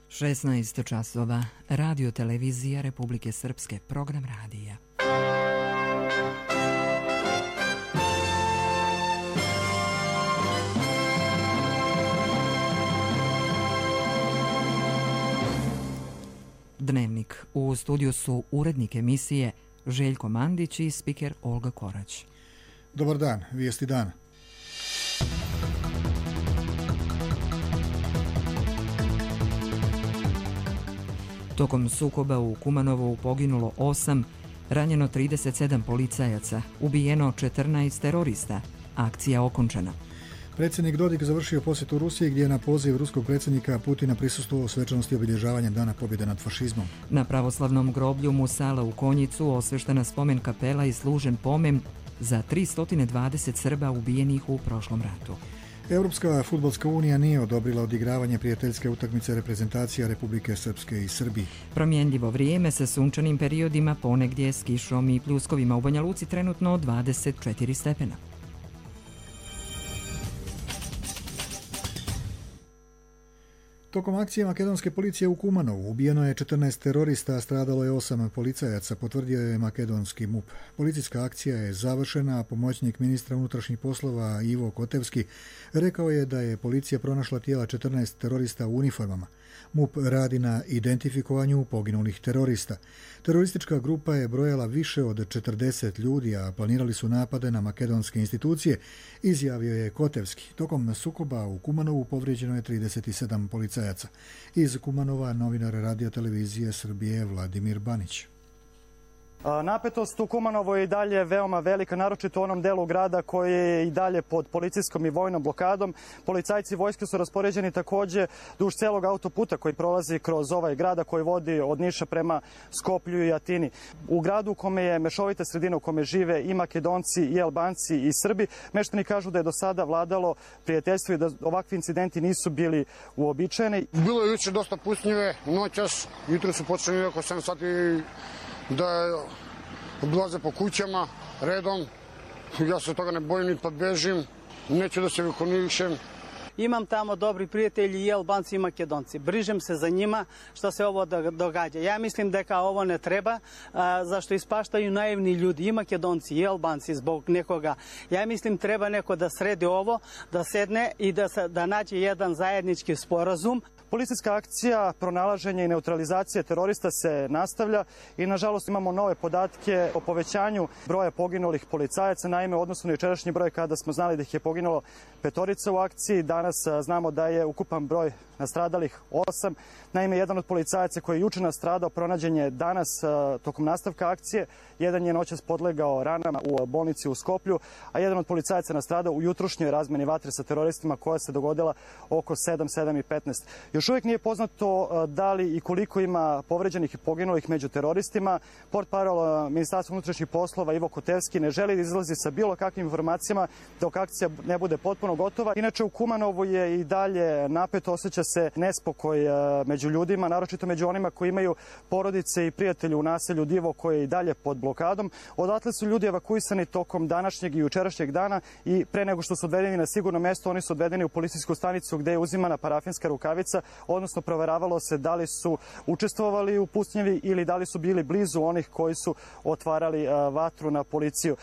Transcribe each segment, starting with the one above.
16 časova, Radio televizija Republike Srpske, program radija. Dnevnik. U studiju su urednik emisije Željko Mandić i spiker Olga Korać. Dobar dan, vijesti dana. Tokom sukoba u Kumanovu poginulo 8, ranjeno 37 policajaca, ubijeno 14 terorista. Akcija okončana. Predsjednik Dodik završio posjetu Rusiji gdje je na poziv ruskog predsjednika Putina prisustvovao svečanosti obilježavanja Dana pobjede nad fašizmom. Na pravoslavnom groblju Musala u Konjicu osveštena spomen kapela i služen pomen za 320 Srba ubijenih u prošlom ratu. Europska fudbalska unija nije odobrila odigravanje prijateljske utakmice reprezentacija Republike Srpske i Srbije. Promjenljivo vrijeme sa sunčanim periodima, ponegdje s kišom i pljuskovima. U Banja Luci trenutno 24 stepena. Tokom akcije makedonske policije u Kumanovu ubijeno je 14 terorista, a stradalo je 8 policajaca, potvrdio je makedonski MUP. Policijska akcija je završena, a pomoćnik ministra unutrašnjih poslova Ivo Kotevski rekao je da je policija pronašla tijela 14 terorista u uniformama. MUP radi na identifikovanju poginulih terorista. Teroristička grupa je brojala više od 40 ljudi, a planirali su napade na makedonske institucije, izjavio je Kotevski. Tokom sukoba u Kumanovu povrijeđeno je 37 policajaca. Iz Kumanova novinar Radio televizije Srbije Vladimir Banić. Napetost u Kumanovu je i dalje veoma velika, naročito u onom delu grada koji je i dalje pod policijskom i vojnom blokadom. Policajci vojske su raspoređeni također duž celog autoputa koji prolazi kroz ovaj grada koji vodi od Niša prema Skoplju i Atini. U gradu u kome je mešovita sredina, u kome žive i Makedonci i Albanci i Srbi, meštani kažu da je do sada vladalo prijateljstvo i da ovakvi incidenti nisu bili uobičajeni. Bilo je juče dosta pusnjive, noćas, jutro su počeli oko 7 sati da obilaze po kućama redom. Ja se toga ne bojim, ni pa bežim, neću da se vikonišem. Imam tamo dobri prijatelji i Albanci i Makedonci. Brižem se za njima što se ovo događa. Ja mislim da kao ovo ne treba, zašto ispaštaju naivni ljudi i Makedonci i Albanci zbog nekoga. Ja mislim treba neko da sredi ovo, da sedne i da nađe jedan zajednički sporazum. Policijska akcija pronalaženja i neutralizacije terorista se nastavlja i nažalost imamo nove podatke o povećanju broja poginulih policajaca. Naime, odnosno na jučerašnji broj kada smo znali da ih je poginulo 5 u akciji, danas znamo da je ukupan broj nastradalih 8. Naime, jedan od policajaca koji je juče nastradao pronađen je danas tokom nastavka akcije. Jedan je noćas podlegao ranama u bolnici u Skoplju, a jedan od policajaca nastradao u jutrošnjoj razmeni vatre sa teroristima koja se dogodila oko 7:15. Još uvijek nije poznato da li i koliko ima povređenih i poginulih među teroristima. Portparol Ministarstva unutrašnjih poslova Ivo Kotevski ne želi da izlazi sa bilo kakvim informacijama dok akcija ne bude potpuno gotova. Inače, u Kumanovu je i dalje napeto, osjeća se nespokoj među ljudima, naročito među onima koji imaju porodice i prijatelje u naselju Divo koje je i dalje pod blokadom. Odatle su ljudi evakuisani tokom današnjeg i jučerašnjeg dana i pre nego što su odvedeni na sigurno mjesto, oni su odvedeni u policijsku stanicu gdje je uzimana parafinska rukavica, odnosno proveravalo se da li su učestvovali u pucnjevi ili da li su bili blizu onih koji su otvarali vatru na policiju.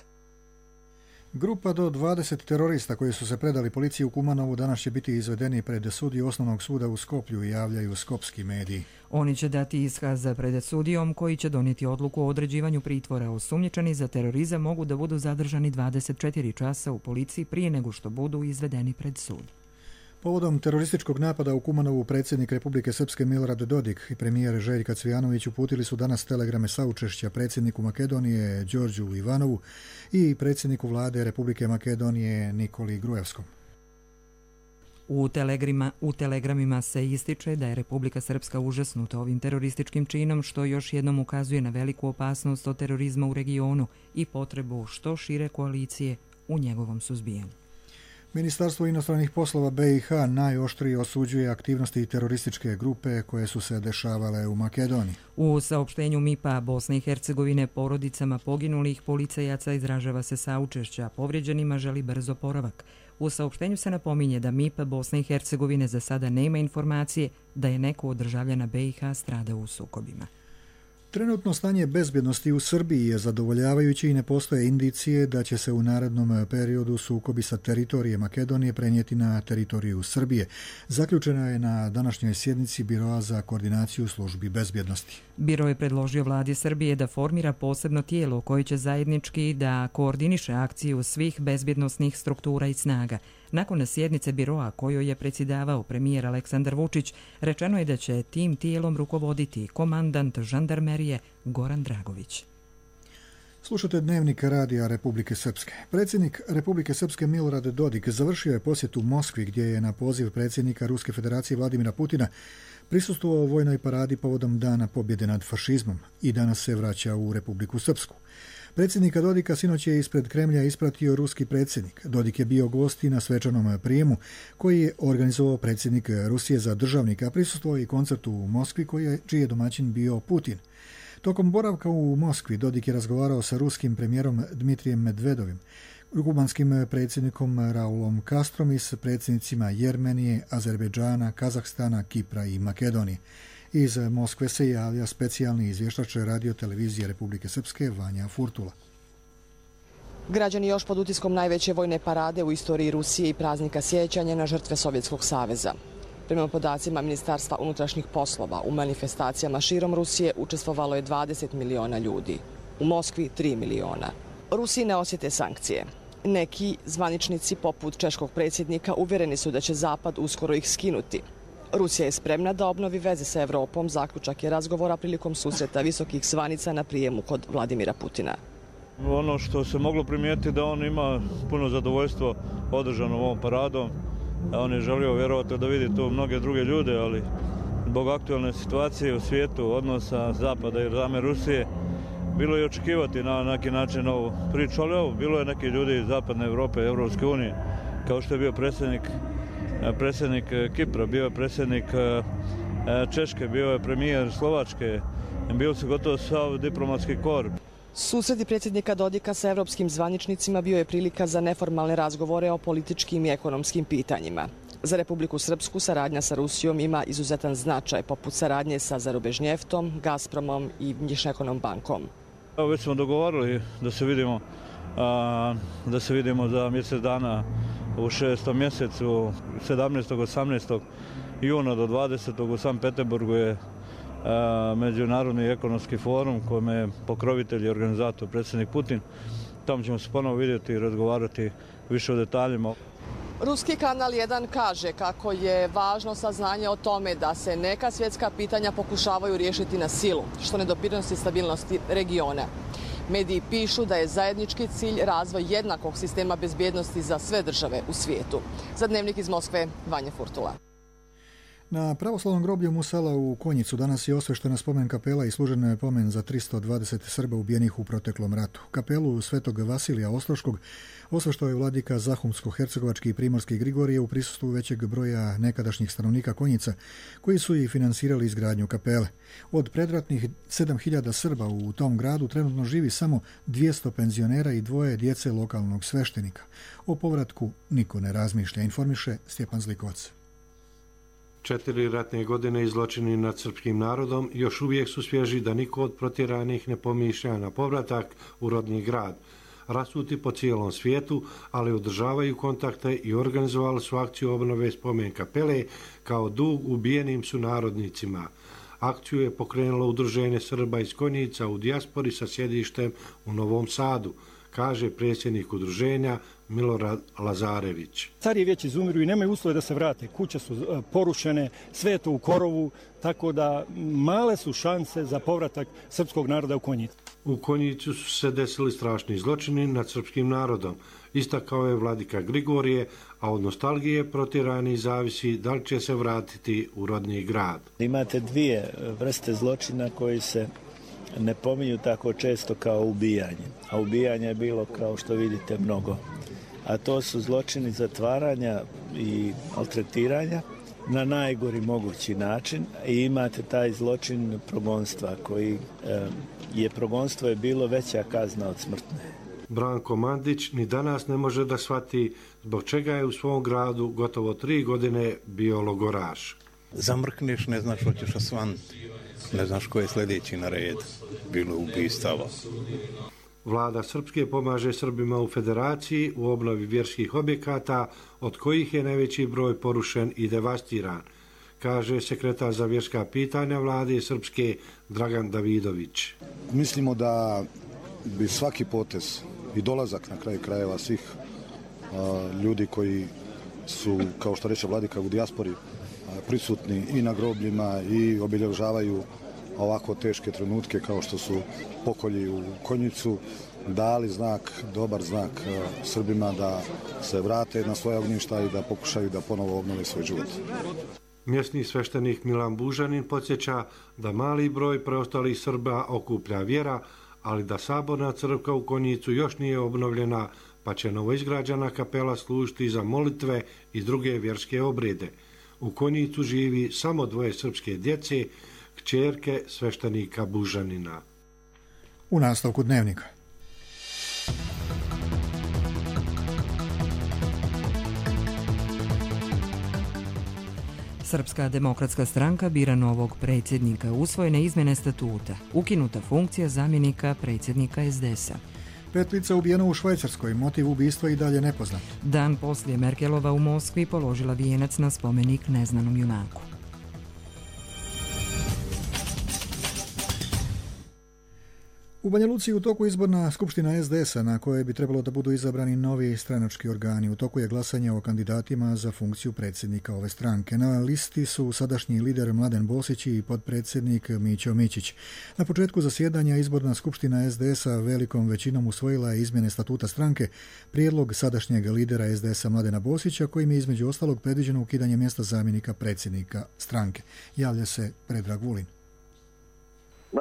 Grupa do 20 terorista koji su se predali policiji u Kumanovu danas će biti izvedeni pred sudiju osnovnog suda u Skoplju, javljaju skopski mediji. Oni će dati iskaz pred sudijom koji će donijeti odluku o određivanju pritvora. Osumnjičeni za terorizam mogu da budu zadržani 24 časa u policiji prije nego što budu izvedeni pred sud. Povodom terorističkog napada u Kumanovu predsjednik Republike Srpske Milorad Dodik i premijer Željko Cvijanović uputili su danas telegrame saučešća predsjedniku Makedonije Đorđu Ivanovu i predsjedniku vlade Republike Makedonije Nikoli Grujevskom. U telegramima se ističe da je Republika Srpska užasnuta ovim terorističkim činom, što još jednom ukazuje na veliku opasnost od terorizma u regionu i potrebu što šire koalicije u njegovom suzbijanju. Ministarstvo inostranih poslova BiH najoštrije osuđuje aktivnosti terorističke grupe koje su se dešavale u Makedoniji. U saopštenju MIP-a Bosne i Hercegovine porodicama poginulih policajaca izražava se saučešća, povrijeđenima želi brz oporavak. U saopštenju se napominje da MIP Bosne i Hercegovine za sada nema informacije da je neko od državljana BiH stradao u sukobima. Trenutno stanje bezbjednosti u Srbiji je zadovoljavajuće i ne postoje indicije da će se u narednom periodu sukobi sa teritorije Makedonije prenijeti na teritoriju Srbije. Zaključena je na današnjoj sjednici Biroa za koordinaciju službi bezbjednosti. Biro je predložio vladi Srbije da formira posebno tijelo koje će zajednički da koordiniše akciju svih bezbjednosnih struktura i snaga. Nakon sjednice biroa kojoj je predsjedavao premijer Aleksandar Vučić, rečeno je da će tim tijelom rukovoditi komandant žandarmerije Goran Dragović. Slušate Dnevnik Radija Republike Srpske. Predsjednik Republike Srpske Milorad Dodik završio je posjet u Moskvi gdje je na poziv predsjednika Ruske federacije Vladimira Putina prisustvovao vojnoj paradi povodom Dana pobjede nad fašizmom i danas se vraća u Republiku Srpsku. Predsjednika Dodika sinoć je ispred Kremlja ispratio ruski predsjednik. Dodik je bio gost i na svečanom prijemu koji je organizovao predsjednik Rusije za državnika, a prisustvovao i koncertu u Moskvi čiji je domaćin bio Putin. Tokom boravka u Moskvi Dodik je razgovarao sa ruskim premijerom Dmitrijem Medvedovim, kubanskim predsjednikom Raulom Castrom i s predsjednicima Jermenije, Azerbejdžana, Kazahstana, Kipra i Makedonije. Iz Moskve se javlja specijalni izvještač Radio televizije Republike Srpske Vanja Furtula. Građani još pod utiskom najveće vojne parade u istoriji Rusije i praznika sjećanja na žrtve Sovjetskog saveza. Prema podacima Ministarstva unutrašnjih poslova, u manifestacijama širom Rusije učestvovalo je 20 miliona ljudi. U Moskvi 3 miliona. Rusiji ne osjete sankcije. Neki zvaničnici poput češkog predsjednika uvjereni su da će Zapad uskoro ih skinuti. Rusija je spremna da obnovi veze sa Evropom, zaključak je razgovora prilikom susreta visokih zvanica na prijemu kod Vladimira Putina. Ono što se moglo primijetiti da on ima puno zadovoljstvo održano ovom paradom. On je želio vjerovati da vidi tu mnoge druge ljude, ali zbog aktualne situacije u svijetu, odnosa Zapada i same Rusije, bilo je očekivati na neki način ovu priču, ali ovo, bilo je neki ljudi iz Zapadne Evrope, Evropske unije, kao što je bio predsjednik Kipra, bio je predsjednik Češke, bio je premijer Slovačke, bio su gotovo sav diplomatski kor. Susreti predsjednika Dodika sa evropskim zvaničnicima bio je prilika za neformalne razgovore o političkim i ekonomskim pitanjima. Za Republiku Srpsku saradnja sa Rusijom ima izuzetan značaj, poput saradnje sa Zarubežnjeftom, Gazpromom i Vnjišnekonom bankom. Već smo dogovorili da se vidimo za mjesec dana u 6. mjesecu, 17. 18. juna do 20. u Sankt Peterburgu je Međunarodni ekonomski forum kojim je pokrovitelj i organizator predsjednik Putin. Tamo ćemo se ponovo vidjeti i razgovarati više o detaljima. Ruski kanal 1 kaže kako je važno saznanje o tome da se neka svjetska pitanja pokušavaju riješiti na silu, što ne doprinosi stabilnosti regiona. Mediji pišu da je zajednički cilj razvoj jednakog sistema bezbjednosti za sve države u svijetu. Za Dnevnik iz Moskve, Vanja Furtula. Na pravoslavnom groblju Musala u Konjicu danas je osveštena spomen kapela i služen pomen za 320 Srba ubijenih u proteklom ratu. Kapelu Svetog Vasilija Ostroškog osveštao je vladika Zahumsko-hercegovački i primorski Grigorije u prisustvu većeg broja nekadašnjih stanovnika Konjica, koji su i finansirali izgradnju kapele. Od predratnih 7000 Srba u tom gradu trenutno živi samo 200 penzionera i 2 djece lokalnog sveštenika. O povratku niko ne razmišlja, informiše Stjepan Zlikovac. 4 ratne godine i zločini nad srpskim narodom još uvijek su svježi da niko od protjeranih ne pomišlja na povratak u rodni grad. Rasuti po cijelom svijetu, ali održavaju kontakte i organizovali su akciju obnove spomen kapele kao dug ubijenim sunarodnicima. Akciju je pokrenulo Udruženje Srba iz Konjica u dijaspori sa sjedištem u Novom Sadu, kaže predsjednik udruženja Milorad Lazarević. Stariji već izumiru i nemaju uslove da se vrate. Kuće su porušene, sve je to u korovu, tako da male su šanse za povratak srpskog naroda u Konjicu. U Konjicu su se desili strašni zločini nad srpskim narodom. Istakao je vladika Grigorije, a od nostalgije protjerani zavisi da li će se vratiti u rodni grad. Imate 2 vrste zločina koji se ne pominju tako često kao ubijanje. A ubijanje je bilo, kao što vidite, mnogo. A to su zločini zatvaranja i maltretiranja na najgori mogući način. I imate taj zločin progonstva, koji progonstvo je bilo veća kazna od smrtne. Branko Mandić ni danas ne može da shvati zbog čega je u svom gradu gotovo 3 godine bio logoraš. Zamrkneš, ne znaš što ćeš osvanuti, ne znaš ko je sljedeći na red, bilo ubistava. Vlada Srpske pomaže Srbima u Federaciji u obnovi vjerskih objekata, od kojih je najveći broj porušen i devastiran, kaže sekretar za vjerska pitanja Vlade Srpske Dragan Davidović. Mislimo da bi svaki potez i dolazak na kraju krajeva svih ljudi koji su, kao što reče Vladika, u dijaspori prisutni i na grobljima i obilježavaju ovako teške trenutke kao što su pokolji u Konjicu, dali znak, dobar znak Srbima da se vrate na svoja ognjišta i da pokušaju da ponovo obnove svoj život. Mjesni sveštenik Milan Bužanin podsjeća da mali broj preostalih Srba okuplja vjera, ali da saborna crkva u Konjicu još nije obnovljena, pa će novoizgrađena kapela služiti za molitve i druge vjerske obrede. U Konjicu živi samo 2 srpske djece, kćerke sveštenika Bužanina. U nastavku dnevnika. Srpska demokratska stranka bira novog predsjednika, usvojene izmjene statuta, ukinuta funkcija zamjenika predsjednika SDS-a. 5 lica ubijeno u Švajcarskoj, motiv ubistva i dalje nepoznat. Dan poslije Merkelova u Moskvi položila vijenac na spomenik neznanom junaku. U Banja Luci u toku izborna skupština SDS-a na kojoj bi trebalo da budu izabrani novi stranački organi. U toku je glasanje o kandidatima za funkciju predsjednika ove stranke. Na listi su sadašnji lider Mladen Bosić i potpredsjednik Mićo Mićić. Na početku zasjedanja izborna skupština SDS-a velikom većinom usvojila je izmjene statuta stranke, prijedlog sadašnjeg lidera SDS-a Mladena Bosića, kojim je između ostalog predviđeno ukidanje mjesta zamjenika predsjednika stranke. Javlja se Predrag Vulin.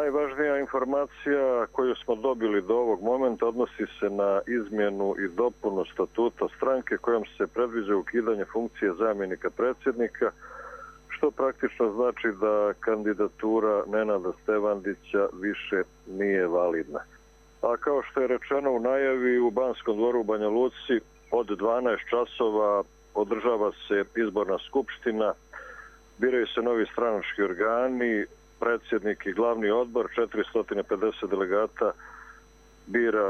Najvažnija informacija koju smo dobili do ovog momenta odnosi se na izmjenu i dopunu statuta stranke kojom se predviđa ukidanje funkcije zamjenika predsjednika, što praktično znači da kandidatura Nenada Stevandića više nije validna. A kao što je rečeno u najavi, u Banskom dvoru u Banja Luci od 12 časova održava se izborna skupština, biraju se novi stranački organi, predsjednik i glavni odbor, 450 delegata bira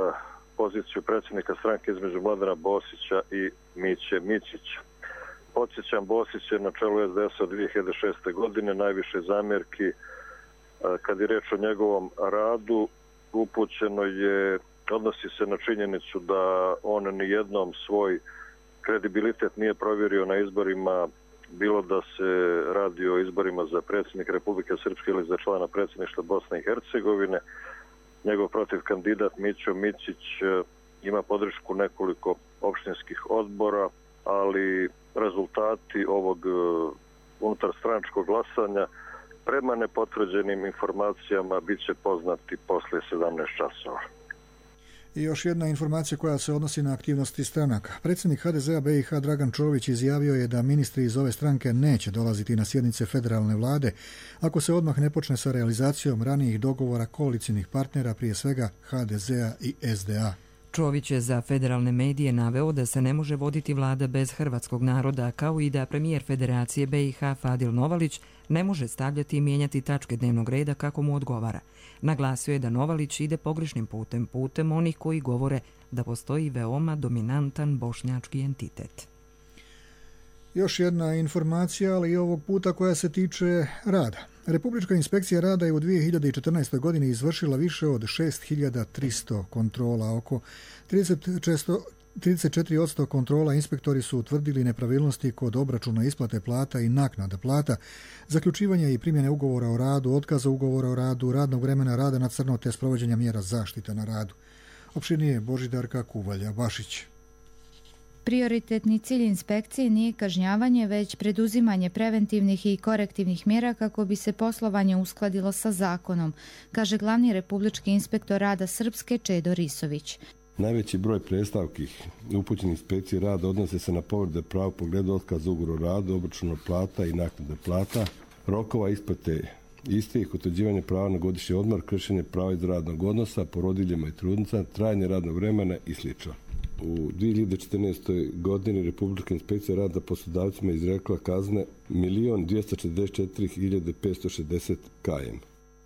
poziciju predsjednika stranke između Mladena Bosića i Miće Mićića. Podsjećam, Bosić je na čelu SDS-a od 2006. godine, najviše zamjerki kad je reč o njegovom radu upućeno je, odnosi se na činjenicu da on nijednom svoj kredibilitet nije provjerio na izborima, bilo da se radi o izborima za predsjednika Republike Srpske ili za člana predsjedništva Bosne i Hercegovine. Njegov protiv kandidat Mićo Mićić ima podršku nekoliko opštinskih odbora, ali rezultati ovog unutarstranačkog glasanja prema nepotvrđenim informacijama bit će poznati poslije 17 časova. I još jedna informacija koja se odnosi na aktivnosti stranaka. Predsjednik HDZ-a BiH Dragan Čović izjavio je da ministri iz ove stranke neće dolaziti na sjednice federalne vlade ako se odmah ne počne sa realizacijom ranijih dogovora koalicijnih partnera, prije svega HDZ-a i SDA. Čović je za federalne medije naveo da se ne može voditi vlada bez hrvatskog naroda, kao i da premijer Federacije BiH Fadil Novalić ne može stavljati i mijenjati tačke dnevnog reda kako mu odgovara. Naglasio je da Novalić ide pogrešnim putem onih koji govore da postoji veoma dominantan bošnjački entitet. Još jedna informacija, ali i ovog puta koja se tiče rada. Republička inspekcija rada je u 2014. godini izvršila više od 6300 kontrola, oko 34% kontrola inspektori su utvrdili nepravilnosti kod obračuna isplate plata i naknada plata, zaključivanja i primjene ugovora o radu, otkaza ugovora o radu, radnog vremena rada na crno te sprovođenja mjera zaštite na radu. Opširnije Božidarka Kuvalja-Bašić. Prioritetni cilj inspekcije nije kažnjavanje, već preduzimanje preventivnih i korektivnih mjera kako bi se poslovanje uskladilo sa zakonom, kaže glavni republički inspektor rada Srpske Čedo Risović. Najveći broj predstavki upućenih inspekcije rada odnose se na povrede prava u pogledu otkaza ugovora o radu, obračuna plata i naknade plata, rokova isplate istih, utvrđivanje prava na godišnji odmor, kršenje prava iz radnog odnosa, porodiljama i trudnicama, trajanje radnog vremena i sl. U 2014. godini Republička inspekcija rada poslodavcima izrekla kazne 1.244.560 km.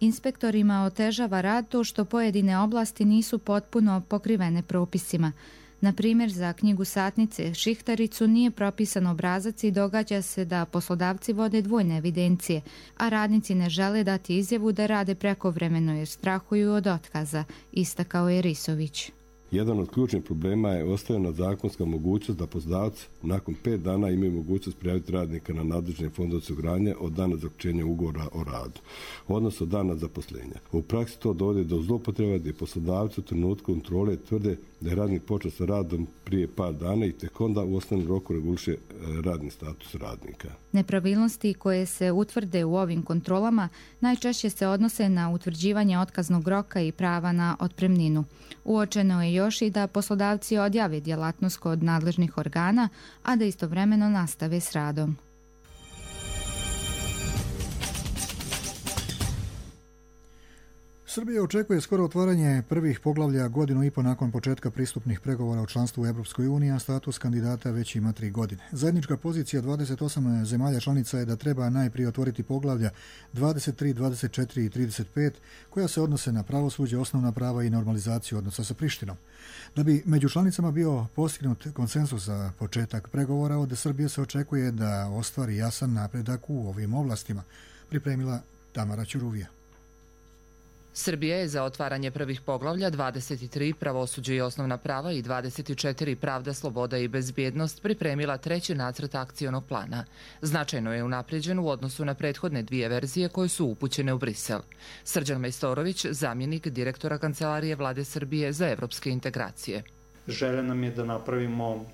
Inspektorima otežava rad to što pojedine oblasti nisu potpuno pokrivene propisima. Na primjer, za knjigu satnice šihtaricu nije propisan obrazac i događa se da poslodavci vode dvojne evidencije, a radnici ne žele dati izjavu da rade prekovremeno jer strahuju od otkaza, istakao je Risović. Jedan od ključnih problema je ostavljena zakonska mogućnost da poslodavci nakon 5 dana imaju mogućnost prijaviti radnika na nadležni fond osiguranja od dana zaključenja ugovora o radu, odnosno dana zaposlenja. U praksi to dovodi do zloupotreba gdje poslodavci u trenutku kontrole tvrde da je radnik počeo sa radom prije par dana i tek onda u osnovnom roku reguliše radni status radnika. Nepravilnosti koje se utvrde u ovim kontrolama najčešće se odnose na utvrđivanje otkaznog roka i prava na otpremninu. Uočeno je još i da poslodavci odjave djelatnost kod nadležnih organa, a da istovremeno nastave s radom. Srbija očekuje skoro otvaranje prvih poglavlja godinu i po nakon početka pristupnih pregovora o članstvu u Europskoj uniji, a status kandidata već ima 3 godine. Zajednička pozicija 28 zemalja članica je da treba najprije otvoriti poglavlja 23, 24 i 35, koja se odnose na pravosuđe, osnovna prava i normalizaciju odnosa sa Prištinom. Da bi među članicama bio postignut konsenzus za početak pregovora, od Srbije se očekuje da ostvari jasan napredak u ovim oblastima, pripremila Tamara Ćuruvija. Srbija je za otvaranje prvih poglavlja 23 pravosuđe i osnovna prava i 24 pravda, sloboda i bezbjednost pripremila treći nacrt akcionog plana. Značajno je unapređen u odnosu na prethodne 2 verzije koje su upućene u Brisel. Srđan Majstorović, zamjenik direktora Kancelarije Vlade Srbije za evropske integracije. Želja nam je da napravimo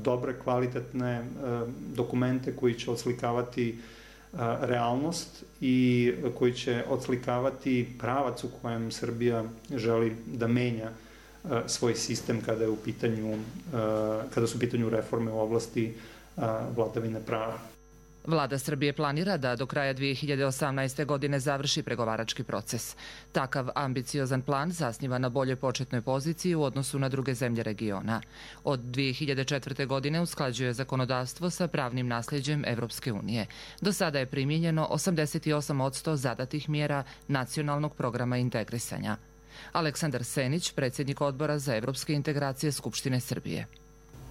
dobre, kvalitetne dokumente koji će oslikavati realnost i koji će odslikavati pravac u kojem Srbija želi da menja svoj sistem kada su u pitanju reforme u oblasti vladavine prava. Vlada Srbije planira da do kraja 2018. godine završi pregovarački proces. Takav ambiciozan plan zasniva na boljoj početnoj poziciji u odnosu na druge zemlje regiona. Od 2004. godine usklađuje zakonodavstvo sa pravnim nasljeđem Evropske unije. Do sada je primijenjeno 88% zadatih mjera nacionalnog programa integrisanja. Aleksandar Senić, predsjednik odbora za evropske integracije Skupštine Srbije.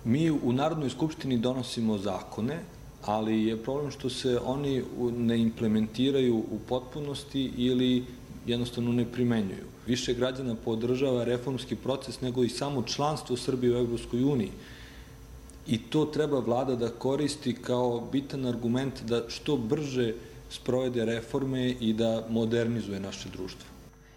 Mi u Narodnoj skupštini donosimo zakone, ali je problem što se oni ne implementiraju u potpunosti ili jednostavno ne primenjuju. Više građana podržava reformski proces nego i samo članstvo Srbije u Evropskoj uniji. I to treba vlada da koristi kao bitan argument da što brže sprovede reforme i da modernizuje naše društvo.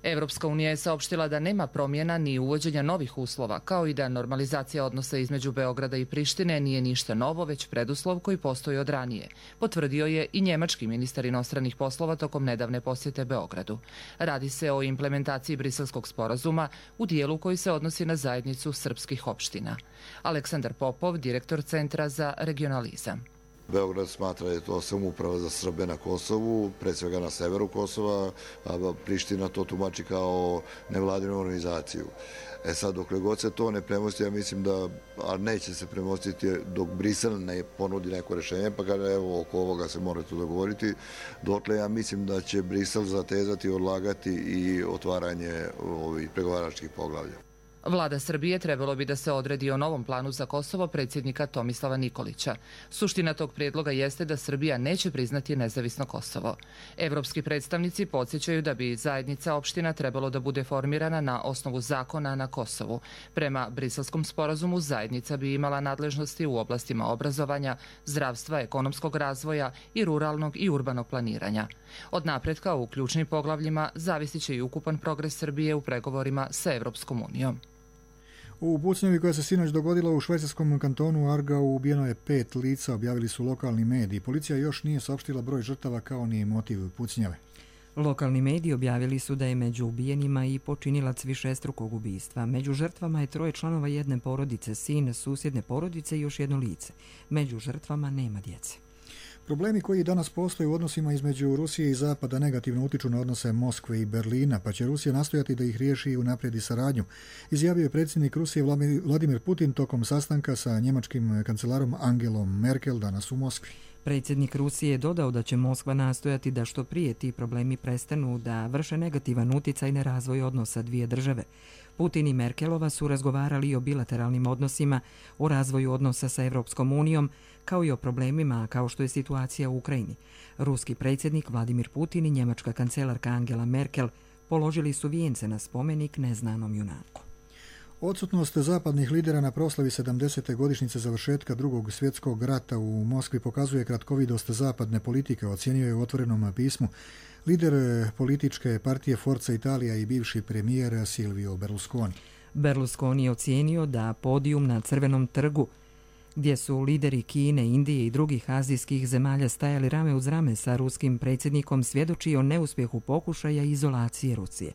Evropska unija je saopštila da nema promjena ni uvođenja novih uslova, kao i da normalizacija odnosa između Beograda i Prištine nije ništa novo, već preduslov koji postoji od ranije. Potvrdio je i njemački ministar inostranih poslova tokom nedavne posjete Beogradu. Radi se o implementaciji Briselskog sporazuma u dijelu koji se odnosi na zajednicu srpskih opština. Aleksandar Popov, direktor Centra za regionalizam. Beograd smatra da je to samouprava za Srbe na Kosovu, pre svega na severu Kosova, a Priština to tumači kao nevladinu organizaciju. Sad, dokle god se to ne premosti, ja mislim da, a neće se premostiti dok Brisel ne ponudi neko rešenje, pa kada evo oko ovoga se mora to dogovoriti, dotle ja mislim da će Brisel zatezati, odlagati i otvaranje ovih pregovaračkih poglavlja. Vlada Srbije trebalo bi da se odredi o novom planu za Kosovo predsjednika Tomislava Nikolića. Suština tog prijedloga jeste da Srbija neće priznati nezavisno Kosovo. Evropski predstavnici podsjećaju da bi zajednica opština trebalo da bude formirana na osnovu zakona na Kosovu. Prema Briselskom sporazumu zajednica bi imala nadležnosti u oblastima obrazovanja, zdravstva, ekonomskog razvoja i ruralnog i urbanog planiranja. Od napretka u ključnim poglavljima zavisit će i ukupan progres Srbije u pregovorima sa Evropskom unijom. U pucnjavi koja se sinoć dogodila u švajcarskom kantonu Aargau ubijeno je 5 lica, objavili su lokalni mediji. Policija još nije saopštila broj žrtava kao ni motiv pucnjave. Lokalni mediji objavili su da je među ubijenima i počinilac višestrukog ubistva. Među žrtvama je 3 članova jedne porodice, sin susjedne porodice i još jedno lice. Među žrtvama nema djece. Problemi koji danas postoje u odnosima između Rusije i Zapada negativno utiču na odnose Moskve i Berlina, pa će Rusija nastojati da ih riješi i unaprijedi saradnju, izjavio je predsjednik Rusije Vladimir Putin tokom sastanka sa njemačkim kancelarom Angelom Merkel danas u Moskvi. Predsjednik Rusije je dodao da će Moskva nastojati da što prije ti problemi prestanu da vrše negativan utjecaj na razvoj odnosa dvije države. Putin i Merkelova su razgovarali i o bilateralnim odnosima, o razvoju odnosa sa Europskom unijom, kao i o problemima kao što je situacija u Ukrajini. Ruski predsjednik Vladimir Putin i njemačka kancelarka Angela Merkel položili su vijence na spomenik neznanom junaku. Odsutnost zapadnih lidera na proslavi 70. godišnjice završetka Drugog svjetskog rata u Moskvi pokazuje kratkovidost zapadne politike, ocijenio je u otvorenom pismu lider političke partije Forza Italija i bivši premijer Silvio Berlusconi. Berlusconi je ocijenio da podijum na Crvenom trgu, gdje su lideri Kine, Indije i drugih azijskih zemalja stajali rame uz rame sa ruskim predsjednikom, svjedoči o neuspjehu pokušaja izolacije Rusije.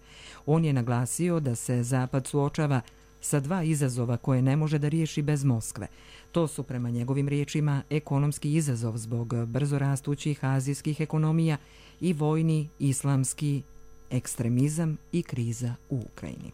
On je naglasio da se Zapad suočava sa dva izazova koje ne može da riješi bez Moskve. To su, prema njegovim riječima, ekonomski izazov zbog brzo rastućih azijskih ekonomija i vojni islamski ekstremizam i kriza u Ukrajini.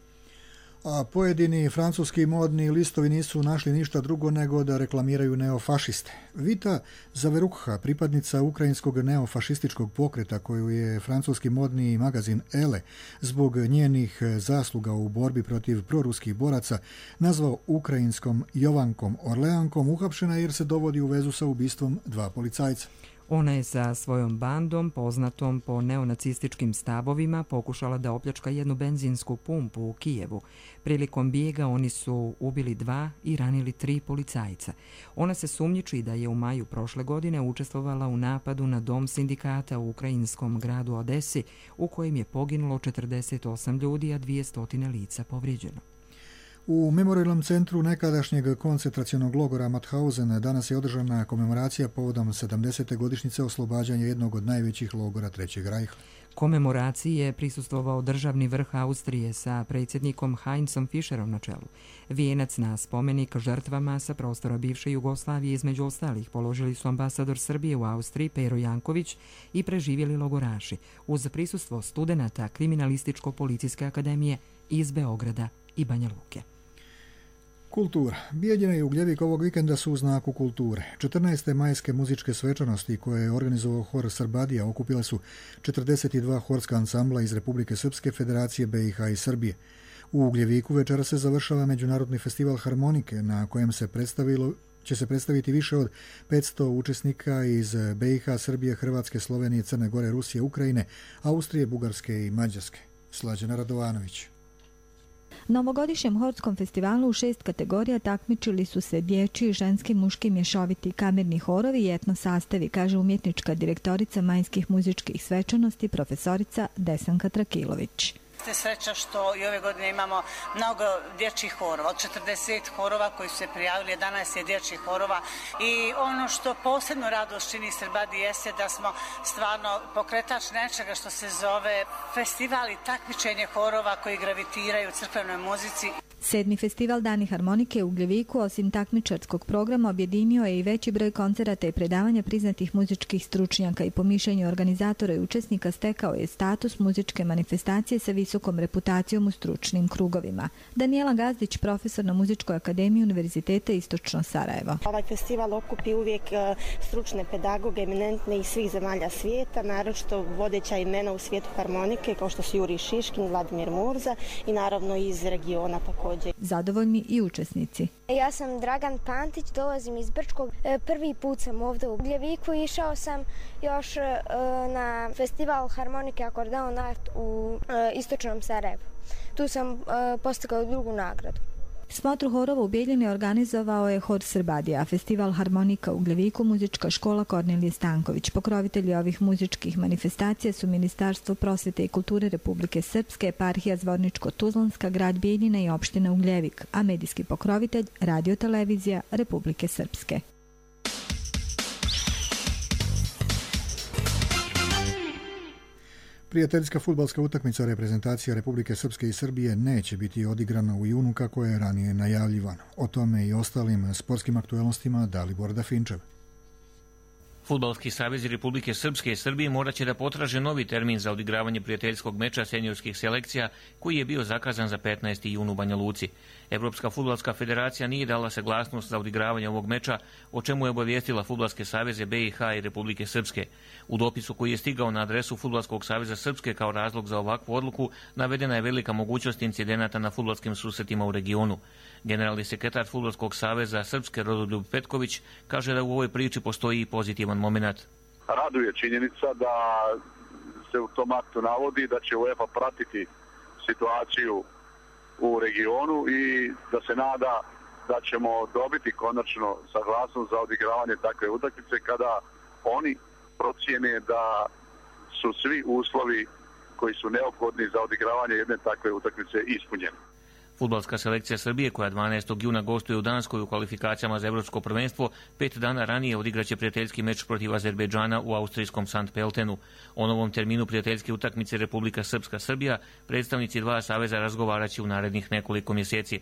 A pojedini francuski modni listovi nisu našli ništa drugo nego da reklamiraju neofašiste. Vita Zaverukha, pripadnica ukrajinskog neofašističkog pokreta koju je francuski modni magazin Elle zbog njenih zasluga u borbi protiv proruskih boraca nazvao ukrajinskom Jovankom Orleankom, uhapšena jer se dovodi u vezu sa ubistvom dva policajca. Ona je sa svojom bandom, poznatom po neonacističkim stavovima, pokušala da opljačka jednu benzinsku pumpu u Kijevu. Prilikom bijega oni su ubili 2 i ranili 3 policajca. Ona se sumnjiči da je u maju prošle godine učestvovala u napadu na dom sindikata u ukrajinskom gradu Odesi, u kojem je poginulo 48 ljudi, a 200 lica povrijeđeno. U memorialnom centru nekadašnjeg koncentracionog logora Mauthausen danas je održana komemoracija povodom 70. godišnjice oslobađanja jednog od najvećih logora Trećeg rajha. Komemoraciji je prisustvovao državni vrh Austrije sa predsjednikom Heinzom Fischerom na čelu. Vijenac na spomenik žrtvama sa prostora bivše Jugoslavije između ostalih položili su ambasador Srbije u Austriji Pero Janković i preživjeli logoraši uz prisustvo studenata Kriminalističko-policijske akademije iz Beograda i Banja Luke. Kultura. Bijeljina i Ugljevik ovog vikenda su u znaku kulture. 14. majske muzičke svečanosti koje je organizovao hor Srbadija okupile su 42 horska ansambla iz Republike Srpske, Federacije BiH i Srbije. U Ugljeviku večera se završava Međunarodni festival harmonike na kojem će se predstaviti više od 500 učesnika iz BiH, Srbije, Hrvatske, Slovenije, Crne Gore, Rusije, Ukrajine, Austrije, Bugarske i Mađarske. Slađana Radovanović. Na ovogodišnjem horskom festivalu u 6 kategorija takmičili su se dječji, ženski, muški, mješoviti, kamerni horovi i etno sastavi, kaže umjetnička direktorica majskih muzičkih svečanosti profesorica Desanka Trakilović. Ste sreća što i ove godine imamo mnogo dječjih horova, od 40 horova koji su se prijavili, 11 je dječjih horova i ono što posebno radost čini Srbadi jeste da smo stvarno pokretač nečega što se zove festival i takmičenje horova koji gravitiraju crkvenoj muzici. 7. festival Dani harmonike u Ugljeviku osim takmičarskog programa objedinio je i veći broj koncerata i predavanja priznatih muzičkih stručnjaka i po mišljenju organizatora i učesnika stekao je status muzičke manifestacije sa visokom reputacijom u stručnim krugovima. Daniela Gazdić, profesor na Muzičkoj akademiji Univerziteta Istočno Sarajevo. Ovaj festival okupi uvijek stručne pedagoge, eminentne iz svih zemalja svijeta, naročito vodeća imena u svijetu harmonike kao što su Jurij Šiškin, Vladimir Murza i naravno iz regiona također. Zadovoljni i učesnici. Ja sam Dragan Pantić, dolazim iz Brčkog. Prvi put sam ovdje u Ugljeviku. Išao sam još na festival harmonike Akordeon Art u Istočnom Sarajevu. Tu sam postigao drugu nagradu. Smotru horova u Bijeljini organizovao je hor Srbadija, festival harmonika u Ugljeviku, muzička škola Kornelije Stanković. Pokrovitelji ovih muzičkih manifestacija su Ministarstvo prosvjete i kulture Republike Srpske, eparhija Zvorničko-Tuzlanska, grad Bijeljina i opština Ugljevik, a medijski pokrovitelj Radio-televizija Republike Srpske. Prijateljska fudbalska utakmica reprezentacija Republike Srpske i Srbije neće biti odigrana u junu kako je ranije najavljivano. O tome i ostalim sportskim aktuelnostima Dalibor Dafinčev. Fudbalski savez Republike Srpske i Srbije morat će da potraže novi termin za odigravanje prijateljskog meča seniorskih selekcija koji je bio zakazan za 15. jun u Banja Luci. Evropska fudbalska federacija nije dala saglasnost za odigravanje ovog meča, o čemu je obavijestila Fudbalske saveze BiH i Republike Srpske. U dopisu koji je stigao na adresu Fudbalskog saveza Srpske kao razlog za ovakvu odluku navedena je velika mogućnost incidenata na fudbalskim susretima u regionu. Generalni sekretar Fudbalskog saveza Srpske Rodoljub Petković kaže da u ovoj priči postoji i pozitivan moment. Raduje činjenica da se u tom aktu navodi da će UEFA pratiti situaciju u regionu i da se nada da ćemo dobiti konačno saglasnost za odigravanje takve utakmice kada oni procijene da su svi uslovi koji su neophodni za odigravanje jedne takve utakmice ispunjeni. Fudbalska selekcija Srbije, koja 12. juna gostuje u Danskoj u kvalifikacijama za evropsko prvenstvo, 5 dana ranije odigraće prijateljski meč protiv Azerbejdžana u austrijskom St. Peltenu. O novom terminu prijateljske utakmice Republika Srpska-Srbija predstavnici dva saveza razgovaraće u narednih nekoliko mjeseci.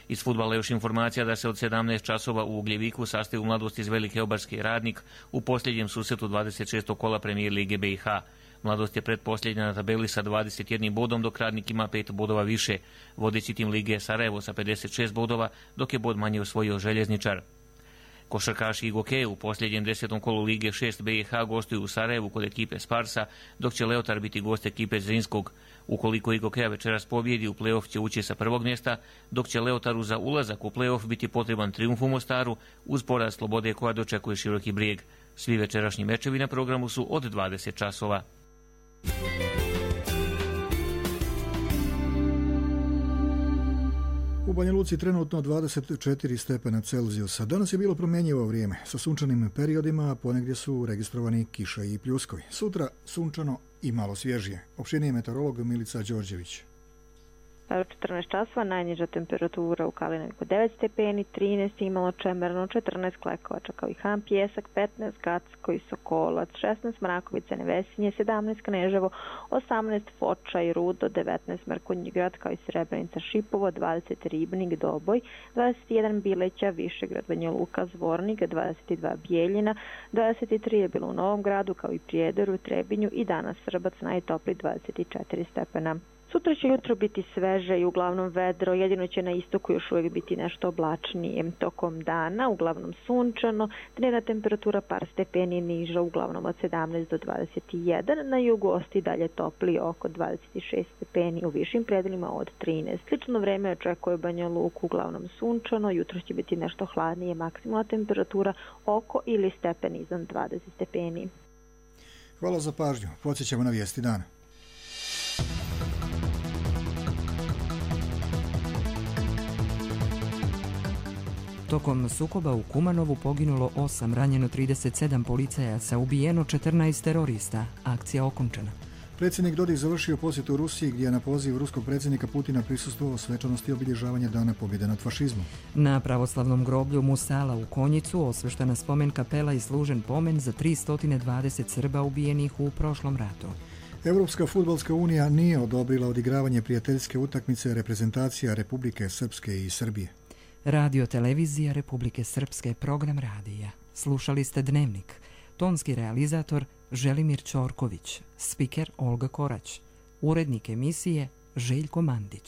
Iz fudbala još informacija da se od 17 časova u Ugljeviku sastaju Mladost iz Velike Obarske i Radnik u posljednjem susretu 26. kola Premijer Lige BiH. Mladost je pretposljednja na tabeli sa 21 bodom, dok Radnik ima 5 bodova više. Vodeći tim Lige je Sarajevo sa 56 bodova, dok je bod manje osvojio Željezničar. Košarkaši i gokeji u posljednjem 10. kolu Lige 6 BiH gostuju u Sarajevu kod ekipe Sparsa, dok će Leotar biti gost ekipe Zrinskog. Ukoliko i gokeja večeras pobjedi, u play-off će ući sa prvog mjesta, dok će Leotaru za ulazak u play-off biti potreban trijumf u Mostaru uz poraz Slobode koja dočekuje Široki Brijeg. Svi večerašnji mečevi na programu su od 20 časova. U Banja Luci trenutno 24 stepena Celzijusa. Danas je bilo promjenjivo vrijeme sa sunčanim periodima, a ponegdje su registrovani kiša i pljuskovi. Sutra sunčano i malo svježije. Opširniji meteorolog Milica Đorđević. U 14 časova najniža temperatura u Kalinoviku 9 stepeni, 13 Imalo Čemerno, 14 Klekovača kao i Han Pjesak, 15 Gacko i Sokolac, 16 Mrakovica Nevesinje, 17 Kneževo, 18 Foča i Rudo, 19 Mrkonji Grad kao i Srebrenica Šipovo, 20 Ribnik Doboj, 21 Bileća, Višegrad Banja Luka Zvornik, 22 Bijeljina, 23 je bilo u Novom Gradu kao i Prijedoru, Trebinju i danas Srbac najtopli 24 stepena. Sutra će jutro biti sveže i uglavnom vedro, jedino će na istoku još uvijek biti nešto oblačnije. Tokom dana uglavnom sunčano, dnevna temperatura par stepeni niža, uglavnom od 17 do 21, na jugu ostaje dalje topli oko 26 stepeni, u višim predelima od 13. Slično vreme očekuje Banja Luku, uglavnom sunčano, jutro će biti nešto hladnije, maksimalna temperatura oko ili stepen iznad 20 stepeni. Hvala za pažnju, podsjećamo na vijesti dana. Tokom sukoba u Kumanovu poginulo 8, ranjeno 37 policajaca, ubijeno 14 terorista. Akcija okončana. Predsjednik Dodik završio posjetu Rusiji gdje je na poziv ruskog predsjednika Putina prisustvovao svečanosti obilježavanja Dana pobjede nad fašizmom. Na pravoslavnom groblju Musala u Konjicu osveštena spomen kapela i služen pomen za 320 Srba ubijenih u prošlom ratu. Europska fudbalska unija nije odobrila odigravanje prijateljske utakmice reprezentacija Republike Srpske i Srbije. Radio televizija Republike Srpske, program radija. Slušali ste Dnevnik. Tonski realizator Želimir Ćorković, spiker Olga Korać, urednik emisije Željko Mandić.